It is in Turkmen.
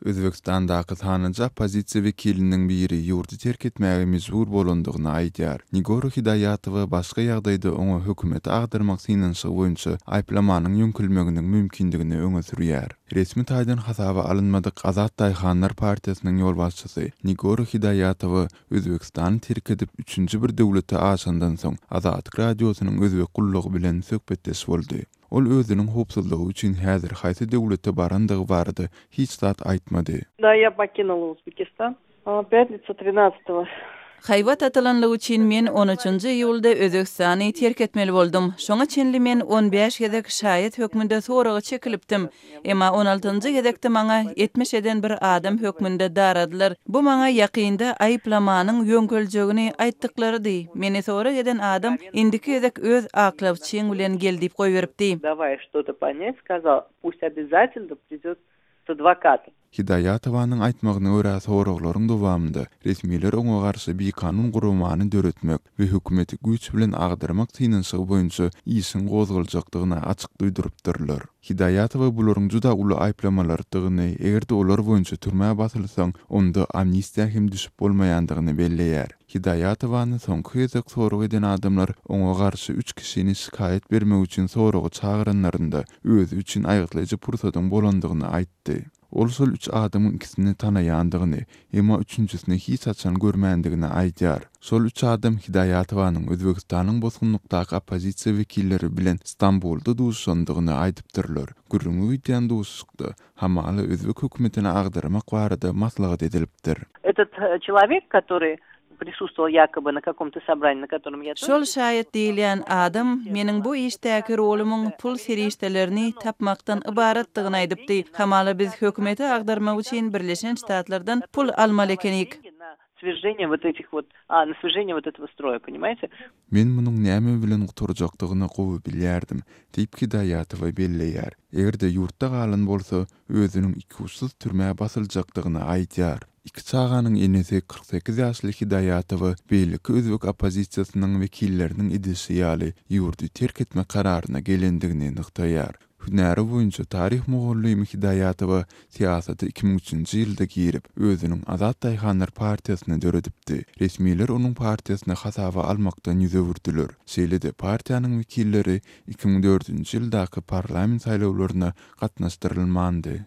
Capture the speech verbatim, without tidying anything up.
Özbegistandaky sanlyja oppozisiýa wekiliniň biri ýurdy terk etmäge mejbur bolandygyny aýdýar. Nigora Hidoýatowa başga ýagdaýda oňa hökümeti agdarmak synanyşygy boýunça aýyplamanyň ýöňkelmeginiň mümkindigini öňe sürýär. Resmi taýdan hasaba alynmadyk Azat daýhanlar partiýasynyň ýolbaşçysy Nigora Hidoýatowa Özbegistany terk edip üçünji bir döwlete aşandan soň Azatlyk Radiosynyň özbek gullugy bilen söhbetdeş boldy. Ol özüniň howpsuzlygy üçin häzir haýsy döwlete barandygy barada hiç zat aýtmady. Да, я покинула Узбекистан. Пятница тринадцатого. Haýbat atylanlygy üçin men on üçünji iýulda Özbegistany terk etmeli boldum. Şoňa çenli men on bäş gezek şaýat hökmünde soraga çekilipdim. Emma on altynjy gezekde maňa etmiş eden bir adam hökmünde daradylar. Bu maňa ýakynda aýyplamanyň ýöňkeljegini aýtdyklarydy. Meni sorag eden adam indiki gezek öz aklawçyň bilen gel diýip goýberipdi. Давай что-то понять, сказал, пусть обязательно придет с адвокатом. Hidoýatowanyň aýtmagyna görä, soraglaryň dowamynda resmiler oňa garşy bikanun guramany döretmek we hökümeti güýç bilen agdarmak synanyşygy boýunça işiň gozgaljakdygyny açyk duýdurypdyrlar. Hidoýatowa bularyň juda uly aýyplamalardygyny, eger-de olar boýunça türmä basylsaň, onda amnistiýa hem düşüp bolmaýandygyny belleýär. Hidoýatowany soňky gezek sorag eden adamlar oňa garşy üç kişini şikaýat bermek üçin soraga çagyranlarynda özi üçin aýgytlaýjy pursadyň bolandygyny aýtdy. Ol şol üç adamyň ikisini tanaýandygyny, emma üçünjisini hiç haçan görmändigini aýdýar. Şol üç adam Hidoýatowanyň Özbegistanyň bosgunlykdaky oppozisiýa wekilleri bilen Stambulda duşandygyny aýdypdyrlar. Gürrüňi gidýän duşuşykda hamala özbek hökümetini agdarmak barada maslahat edilipdir. Этот человек, который присутствовал якобы на каком-то собрании, на котором я Şol şaýat diýilýän adam meniň bu işdäki rolumyň pul serişdelerini tapmakdan ybaratdygyny aýdypdy. Hamala biz hökümeti agdarmak üçin Birleşen Ştatlardan pul almaly ekenik. Свержение вот этих вот, а, на свержение вот этого строя, понимаете? Men munuň näme bilen gutarjakdygyny gowy bilýärdim, diýip Hidoýatowa belleýär. Eger-de ýurtda galan bolsa, özüniň ikuçsuz türmä basyljakdygyny aýdýar. Iki çaganyň enesi kyrk sekiz ýaşly Hidoýatowa beýleki özbek oppozisiýasynyň wekilleriniň edişi ýaly ýurdy terk etmek kararyna gelendigini nygtaýar. Hünäri boýunça taryh mugallymy Hidoýatowa syýasata iki müň üçünji ýylda girip, özüniň Azat daýhanlar partiýasyny döredipdi. Resmiler onuň partiýasyny hasaba almakdan ýüz öwürdiler. Şeýle-de partiýanyň wekilleri iki müň dördünji ýyldaky parlament saýlawlaryna gatnaşdyrylmandy.